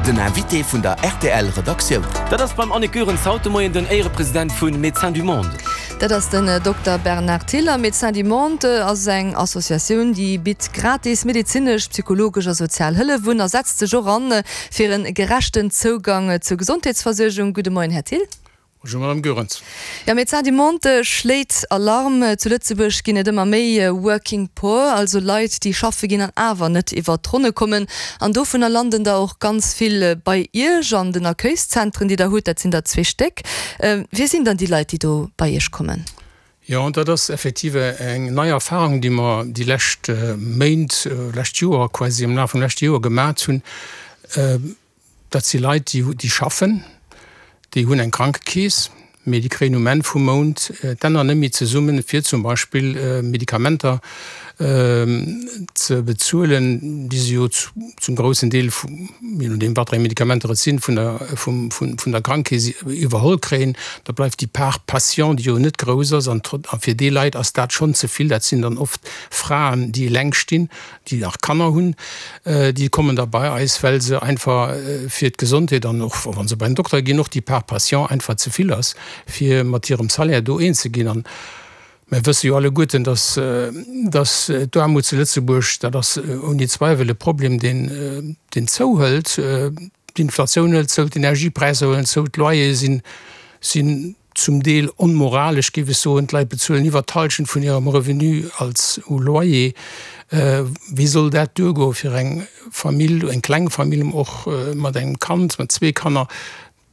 Den Invité vun der rtl Redaktioun. Dat ass beim Annick Goerens haut de Moien den Éierepresident vu Médecins du Monde. Dat ass den Dokter Bernard Tiller. Médecins du Monde ass eng Associatioun, déi bitt gratis medezinesch, psychologesch a sozial Hëllef un a setzt sech och an fir en gerechten Zougang zur Gesondheetsversuergung. Gudde Moien, Här Thill. Bonjour Madame Goerens. Jo, Médecins du Monde schléit Alarm. Zu Lëtzebuerg ginn et ëmmer méi Working Poor, also Leit, déi schaffe ginn an awer net iwwer d'Ronne kommen. An dovunner landen der och ganz vill bei Iech an den Accueilszentren, déi der hutt. Dat sinn der zwee Stéck. Wie sinn dann déi Leit, déi do bei Iech kommen? Jo, dat ass effektiv eng nei Erfahrung, déi mer déi lescht Méint, lescht Joer quasi, am Laf vum leschte Joer gemat hunn. Dat si Leit, déi schaffen, déi hunn eng Krankekeess, mee déi kréien um Enn vum Mount d'Enner net méi zesummen, fir zum Beispill Medikamenter ze bezuelen, déi se jo zum groussen Deel, je nodeem wat fir eng Medikamenter et sinn, vun der Krankekeess iwwerholl kréien. Da bleift déi Part patient, déi jo net grouss ass, an fir déi Leit ass dat schonn ze vill. Dat sinn dann oft Fraen, déi eleng stinn, déi nach Kanner hunn, déi kommen da bei eis, well se einfach fir d'Gesondheet an och wa se bei den Dokter ginn, och déi Part patient einfach ze vill ass, fir mat hirem Salaire do eens ze ginn. An mir wësse jo alleguerten, dass, dass d'Aarmut zu Lëtzebuerg, dat ass ouni Zweiwel e Problem, deen, deen zouhëlt. D'Inflatioun hëlt zou, d'Energiepräisser huelen zou, d'Loyere sinn, sinn zum Deel onmoralesch, géif ech soen, d'Leit bezuelen iwwer d'Halschent vun hirem Revenu als u Loyer. Wéi soll dat duergoe fir eng Famill, eng kleng Famill och mat engem Kand, mat zwee Kanner?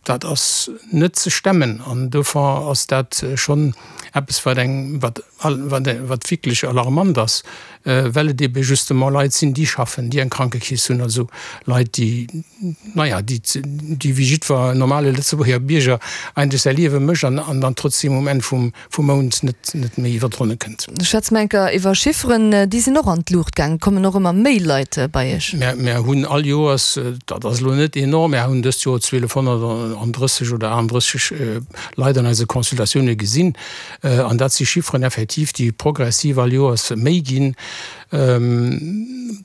Dat ass net ze stemmen an dofir ass dat schonn eppes, wat eng, wat, wat wierklech alarmant ass. Well et ebe justement Leit sinn, déi schaffen, déi eng Krankekeess hunn, also Leit, déi, naja, déi, déi wéi jiddwer normale Lëtzebuerger Bierger eigentlech säi Liewe mécht an an dann trotzdeem um Enn vum, vum Mount net, net méi iwwer d'Ronne kënnt. Schwätze mer enker iwwer Chifferen. Déi sinn och an d'Luucht gaangen. Et kommen och ëmmer méi Leit bei Iech. Mär, mär hunn all Joers, dat ass elo net enorm, mär hunn dëst Joer 1.230 oder 38 Leit an eise Consultatioune gesinn. An dat si Chifferen effektiv, déi progressiv all Joers méi ginn.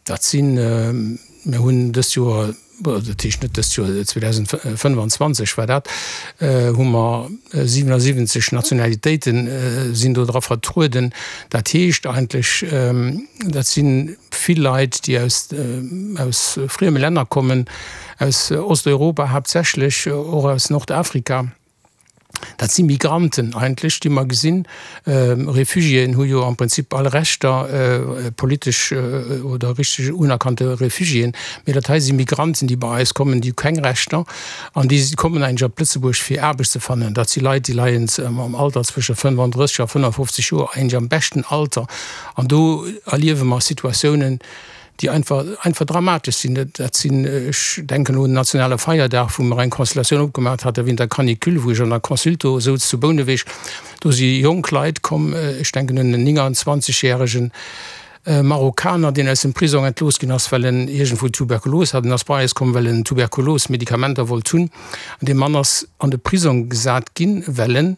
Dat sinn, mir hunn dëst Joer, dat heescht net dëst Joer, 2025 war dat, hu mer 77 Nationalitéite sinn do dra vertrueden. Dat heescht eigentlech, dat si vill Leit, déi aus, aus frieme Länner kommen, aus Osteuropa haaptsächlech, och aus Nordafrika. Dat si Migranten eigentlech, déi mer gesinn. Refugiéen hu jo am Prinzip all Rechter, politesch oder richteg unerkannte Refugiéen. Mee dat hei si Migranten, déi bei eis kommen, déi hu keng Rechter an déi kommen eigentlech op Lëtzebuerg, fir Aarbecht ze fannen. Dat si Leit, déi leien am Alter zwësche 35 a 55 Joer, eigentlech am beschten Alter. An do erliewe mer Situatiounen, déi einfach, einfach dramatesch sinn. Dat sinn, ech denken elo un den nationale Feierdag, wou mer eng Constellatioun opgemaach hate wéint der Canicule, wou ech an der Consulto souz zu Bouneweg, do si jonk Leit komm, ech denken un en 29 järegen Marokkaner, deen aus dem Prisong entlooss ginn ass, well en iergendwou Tuberkulos hat. En ass bei eis komm, well en Tuberkulos-Medikamenter wollt hunn. An dee Mann ass an de Prisong gesat ginn, well en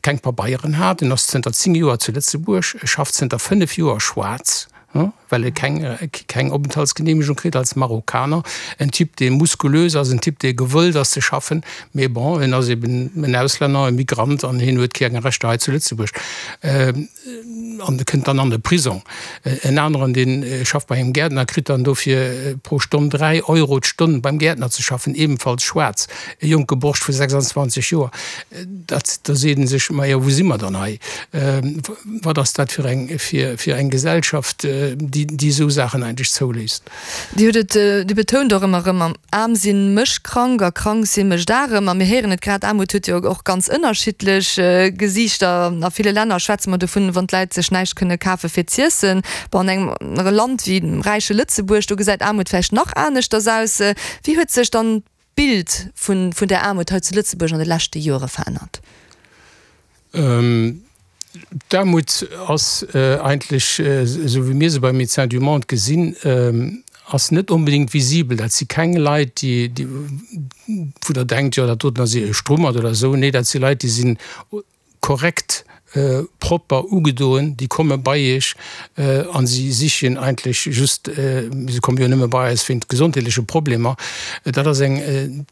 keng Pabeieren hat. En ass zënter 10 Joer zu Lëtzebuerg, e schafft zënter 5 Joer schwaarz. well e keng keng Openthaltsgenehmegung kritt als Marokkaner, en Typ dee muskulös ass, en Typ dee gewëllt ass ze schaffen, mee bon, en ass eben en Auslänner, e Migrant an hien huet keng Rechter hei zu Lëtzebuerg an e kënnt dann an de Prisong. En aneren dee schafft bei engem Gäertner, kritt dann dofir pro Stonn 3 Euro d'Stonn beim Gäertner ze schaffen, ebenfalls schwaarz, e jonke Borscht vu 26 Joer. Dat, da seet ee sech, majo wou si mer dann hei? Wat ass dat fir eng, fir, fir eng Gesellschaft, déi, déi esou Saachen eigentlech zouléisst? Dir hutt et, Dir betount och ëmmer erëm, aarm sinn mécht krank a krank sinn mécht arem. A mir héieren et grad, Aarmut huet jo och ganz ënnerschiddlech Gesiichter. A ville Länner schwätze mer dovun, wann d'Läit sech näischt kënne kafe fir z'iessen. Bon, an engem Land wéi dem räiche Lëtzebuerg, do gesäit Aarmut vläicht nach aneschters aus. Wéi huet sech dann d'Bild vun der Aarmut hei zu Lëtzebuerg an de leschte Joere verännert? D'Aarmut ass eigentlech, esou wéi mir se bei Médecins du Monde gesinn, ass net onbedéngt visibel. Dat si keng Leit, déi, wou Der denkt, jo dat doten ass e Strummert oder esou. Nee, dat si Leit, déi sinn korrekt. propper ugedoen, déi komme bei Iech a si sichen eigentlech just, se komme jo nëmme bei eis wéint gesondheetleche Problemer. Dat ass eng,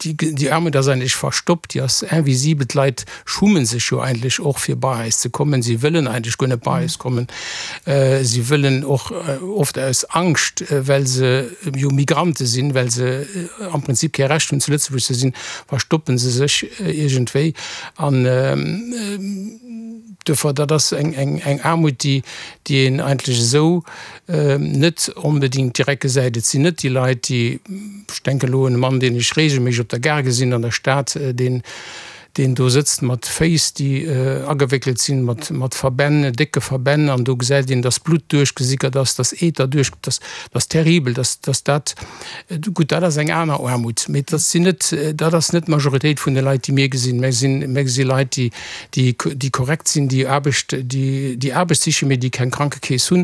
déi Aarmut ass eigentlech verstoppt, déi ass invisibel. D'Leit schummen sech jo eigentlech och fir bei eis ze kommen. Si wëllen eigentlech guer net bei eis kommen. Si wëllen och oft aus Angscht, well se jo Migrante sinn, well se am Prinzip kee Recht hunn zu Lëtzebuerg ze sinn, verstoppe se sech iergendwéi. An duerfir, dat ass eng Aarmut, déi een eigentlech esou net onbedéngt direkt gesäit. Et sinn net déi Leit, déi, ech denken elo un e Mann, deen ech regelméisseg op der Gare gesinn an der Stad, deen, deen do sëtzt mat Féiss, déi agewéckelt sinn, mat Verbänn, décke Verbänn, an do gesäit een, dass Blutt duerchgesickert ass, dass Eeter duerch, dass ass terribel, dass dat Gutt, dat ass eng aner Aarmut, mee dat sinn net, dat ass net d'Majoritéit vun de Leit, déi mir gesinn. Mir sinn, mir gesi Leit, déi, déi, déi korrekt sinn, déi Aarbecht, déi, déi Aarbecht sichen, mee déi keng Krankekeess hunn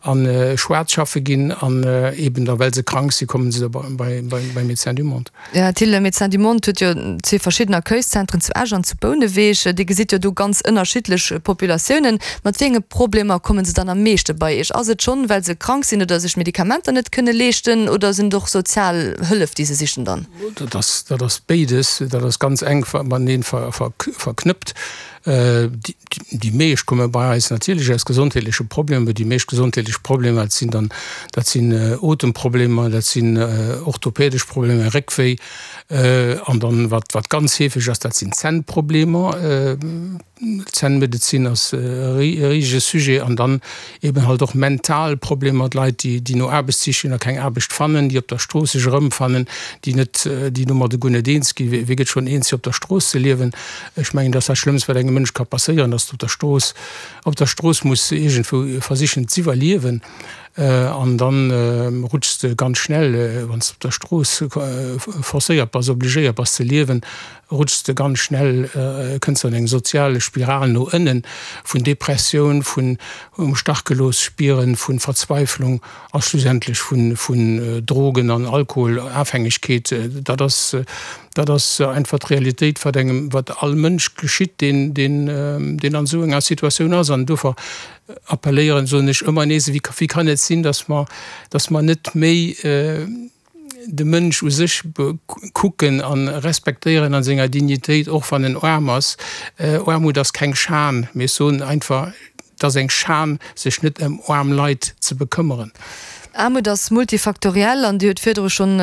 a schwaarz schaffe ginn an eeben da well se krank sinn, komme se da bei, bei, bei Médecins du Monde. Här Thill, Médecins du Monde huet jo zwee verschidden Accueilszentren zu Esch an zu Bouneweg. Dir gesitt jo do ganz ënnerschiddlech Populatiounen. Mat wéi enge Problemer komme se dann am meeschte bei Iech? Ass et schonn, well se krank sinn oder sech Medikamenter net kënne leeschten oder sinn et och sozial Hëllef, déi se sichen dann? Dat ass, dat ass béides. Dat ass ganz enk matenee verknëppt. Déi meescht komme bei eis natierlech aus gesondheetleche Problemer. Déi meescht gesondheetlech Problemer, dat sinn dann, dat sinn Otemproblemer, dat sinn orthopädesch Problemer, Réckwéi. An dann, wat, wat ganz heefeg ass, dat sinn Zännproblemer. D'Zännmedezin ass e risege Sujet. An dann eben halt och mental Problemer, d'Leit, déi, déi no Aarbecht sichen a keng Aarbecht fannen, déi op der Strooss sech erëmfannen, déi net, déi domadde guer net eens ginn. Wie gëtt schonn eens, fir op der Strooss ze liewen? Ech mengen, dat ass dat Schlëmmst, wat engem Mënsch ka passéieren, dass de op der Strooss, op der Strooss muss iergendwou versichen z'iwwerliewen. An da rutschs de ganz schnell, wann s de op der Strooss forcéiert bass, obligéiert bass ze liewen, rutschs de ganz schnell, kënns de an eng sozial Spiral no ënnen, vun Depressioun, vun um Stach gelooss spieren, vu Verzweiflung a schlussendlech vun Drogen an Alkoholafhängegkeet. Dat ass, dat ass einfach d'Realitéit, wat engem, wat all Mënsch geschitt, deen, deen, deen an esou enger Situatioun ass. An dofir appelléieren, soen ech ëmmer nees, wéi, wéi kann et sinn, datt mer, datt mer net méi de Mënsch u sech kucken a respektéieren a senger Dignitéit, och wann en aarm ass. Aarmut ass keng Schan, mee ech soen einfach, et ass eng Schan, sech net ëm aarm Leit ze bekëmmeren. Aarmut ass multifaktoriell an Dir hutt virdru schonn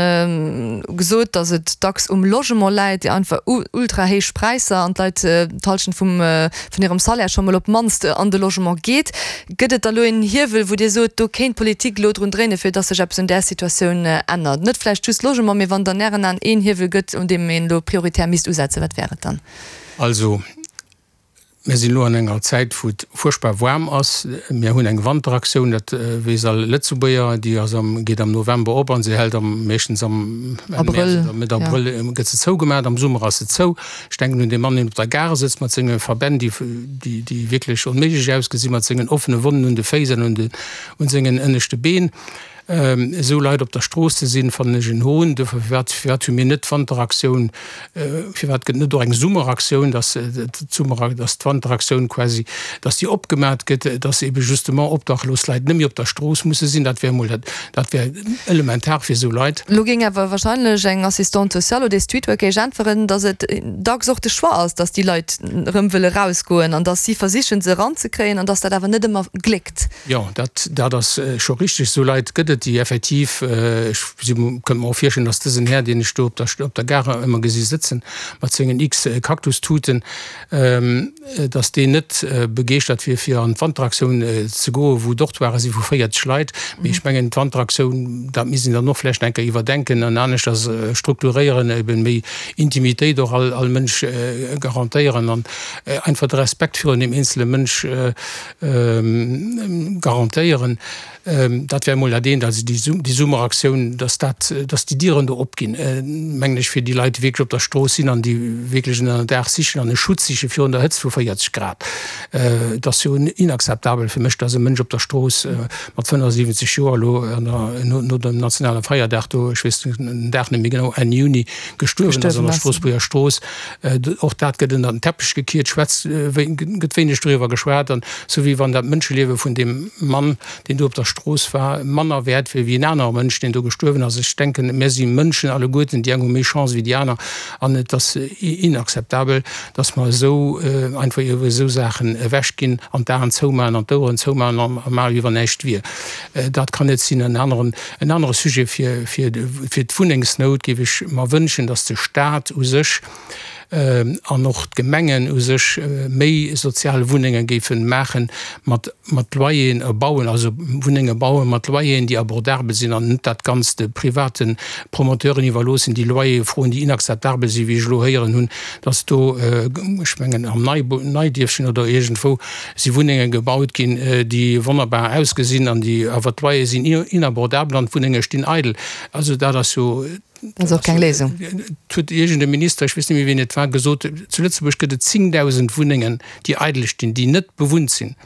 gesot, datt et dacks um Logement läit, déi einfach ultra héich Präisser an d'Leit d'Hallschent vum vun hirem Salaire scho mol op d'mannst an de Logement geet. Gëtt et da lo een Hiewel, wou Dir sot, do kéint d'Politik elo drun dréinen, fir dass sech eppes un där Situatioun ännert? Net vläicht just Logement, mee wann et an Ären Aen een Hiewel gëtt, un deem een elo prioritär misst usetzen, wat wär et dann? Also, mir sinn elo an enger Zäit, wou et fuerchtbar waarm ass. Mir hunn eng Wanteraktioun, dat weess all Lëtzebuerger, déi ass am, geet am November op a se hält am, meeschtens am Enn Mäerz oder Mëtt Abrëll gëtt se zougemaach. Am Summer ass se zou. Ech denken un dee Mann, deen op der Gare sëtzt mat senge Verbänn, déi, déi wierklech onméiglech ausgesinn, mat sengen offene Wonnen un de Féiss an un de, un sengen ënneschte Been. Esou Leit op der Strooss ze sinn, fannen ech en Hohn. Dofir, firwat, firwat hu mir net d'Wanteraktioun, firwat gëtt net och eng Summeraktioun, dass d'Summer, dass d'Wanteraktioun quasi, dass déi opgemat gëtt, dass ebe justement obdachlos Leit net méi op der Strooss musse sinn. Dat wär emol dat, dat wär elementar fir esou Leit. Lo géing awer wahrscheinlech eng Assistante sociale oder ee Streetworker Iech äntweren, datt et dacks och de Choix ass, datt déi Leit erëm wëlle rausgoen an datt si versichen, se eranzekréien an datt dat awer net ëmmer gléckt. Jo, dat, dat ass scho richteg. Esou Leit gëtt et, déi effektiv, ech si, kënnt mer och virstellen, datt dësen Här, deen ech do op der, op der Gare ëmmer gesi sëtzen, mat sengen x Kaktustuten, dass deen net begeeschtert wier fir an d'Wanteraktioun ze goen, wou Dortoiren si vu 40 Leit. Mee ech mengen d'Wanteraktioun, dat misst een dann och vläicht eng Kéier iwwerdenken an aneschters strukturéieren, eben méi Intimitéit och all all Mënsch garantéieren an einfach de Respekt virun deem eenzele Mënsch garantéieren. Dat wär emol dat eent. Aktioun, also déi Summeraktioun, dass dat, dass déi Dieren do opginn, mengen ech, fir déi Leit, déi wierklech op der Strooss sinn an déi wierklech en Ënnerdaach sichen an e Schutz siche virun der Hëtzt vu 40 Grad. Et ass jo inakzeptabel fir mech, dass e Mënsch op der Strooss mat 75 Joer elo no dem nationale Feierdag do, ech weess den Dag net méi genau, Enn Juni gestuerwen ass an der Stroossbuerger Strooss. Och dat gëtt ënner den Teppech gekiert, schwätzt, gëtt wéineg doriwwer geschwat an esou wéi wann dat Mënscheliewe vun deem Mann, deen do op der Strooss war, manner wäert wier wéi en anere Mënsch, deen do gestuerwen ass. Ech denken, mir si Mënschen alleguerten, déi eng hu méi Chance wéi déi aner an et ass inakzeptabel, dass mer esou einfach iwwer esou Saachen ewechginn an d'Aen zoumaachen an d'Oueren zoumaachen a maachen, wéi wann näischt wier. Dat kann net sinn. En aneren, en anere Sujet fir, fir, fir d'Wunnengsnout géif ech mer wënschen, dass de Stat u sech an och d'Gemengen u sech méi sozial Wunnenge géife maachen mat, mat Loyeren bauen, also Wunnenge bauen mat Loyeren, déi abordabel sinn an net dat Ganzt de private Promoteuren iwwerloossen, déi Loyere froen, déi inakzeptabel sinn, wéi ech elo héieren hunn, dass do, ech mengen am Neidierfchen oder iergendwou, si Wunnenge gebaut ginn, déi wonnerbar ausgesinn an déi awer d'Loyere sinn inabordabel an d'Wunnenge stinn eidel. Also dat ass jo. Dat ass och keng Léisung. Et huet iergend e Minister, ech weess net méi wien et war, gesot, zu Lëtzebuerg gëtt et 10.000 Wunnengen, déi eidel stinn, déi net bewunnt sinn.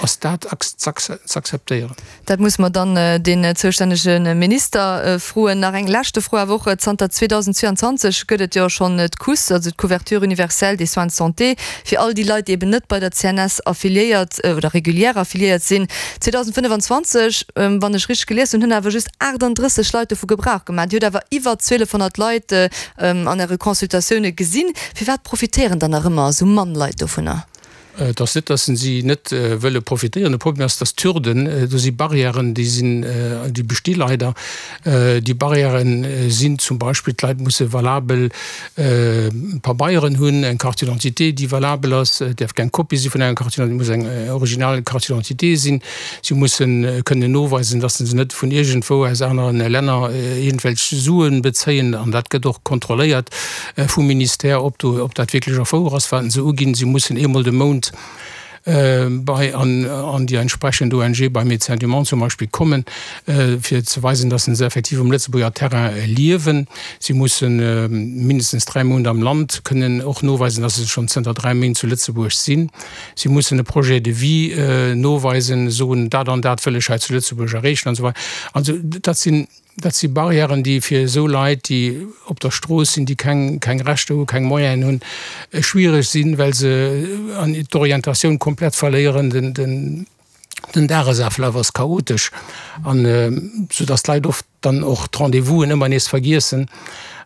Ass dat z'akzeptéieren? Dat musse mer dann deen zoustännege Minister froen. Nach eng leschte Fro awer och, Zanter 2022 gëtt et jo schonn d'CUS, also d'Couverture universelle des soins de santé, fir all déi Leit, déi eben net bei der CNS affiliéiert oder régulière affiliéiert sinn. 2025, wann ech richteg gelies hunn, hunn awer just 38 Leit dovu Gebrauch gemaach. Dir hutt awer iwwer 1.200 Leit an Äre Consultatioune gesinn. Firwat profitéieren dann nach ëmmer esou mann Leit dovunner? Et ass net, datt si net wëlle profitéieren. De Problem ass, datt d'Hürden, do si Barrièren, déi sinn, déi besti leider. Déi Barrièrë sinn zum Beispill, d'Leit musse valabel Pabeieren hunn, eng Carte d'identité, déi valabel ass, et däerf keng Kopie si vun enger Carte d'identité, et muss eng original Carte d'identité sinn. Si musse kënnen noweisen, datt se net vun iergendwou aus anere Länner iergendwelch Sue bezéien. An dat gëtt och kontrolléiert vum Ministère, ob do, ob dat wierklech och wouer ass, wat se uginn. Si mussen eemol de Mount bei an an déi entsprechend ONG, bei Médecins du Monde zum Beispill, kommen, fir ze weisen, datt se effektiv um Lëtzebuerger Terrain liewen. Si musse mindestens 3 Mount am Land kënnen och noweisen, datt se schonn zënter 3 Méint zu Lëtzebuerg sinn. Si mussen e Projet de vie noweisen, soen, dat an dat wëll ech hei zu Lëtzebuerg erreechen an esou weider. Also dat sinn, dat si Barrièren, déi fir esou Leit, déi op der Strooss sinn, déi keng, keng Rechter hunn, keng Moyenen hunn, schwiereg sinn, well se d'Orientatioun komplett verléieren. Den, den, den Dagesaflaf ass chaotesch an esou dass d'Leit oft dann och d'Rendez-vousen ëmmer nees vergiessen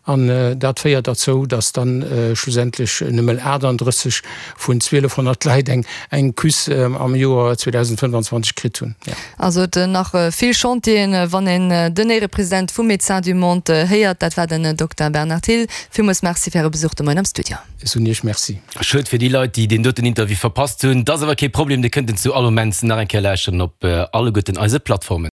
an dat féiert derzou, dass dann schlussendlech nëmmen 38 vun 1200 Leit eng eng Küss am Joer 2025 kritt hunn. Also et nach vill Chantieren, wann een den Éierepresident vum Médecins du Monde héiert. Dat war den Dokter Bernard Thill. Villmools Merci fir Äre Besuch de Moien am Studio. Ech soen Iech Merci. Schued fir déi Leit, déi deen doten Interview verpasst hunn. 't ass awer kee Problem, Dir kënnt en zu all Moment nach eng Kéier lauschteren op alleguerten eise Plattformen.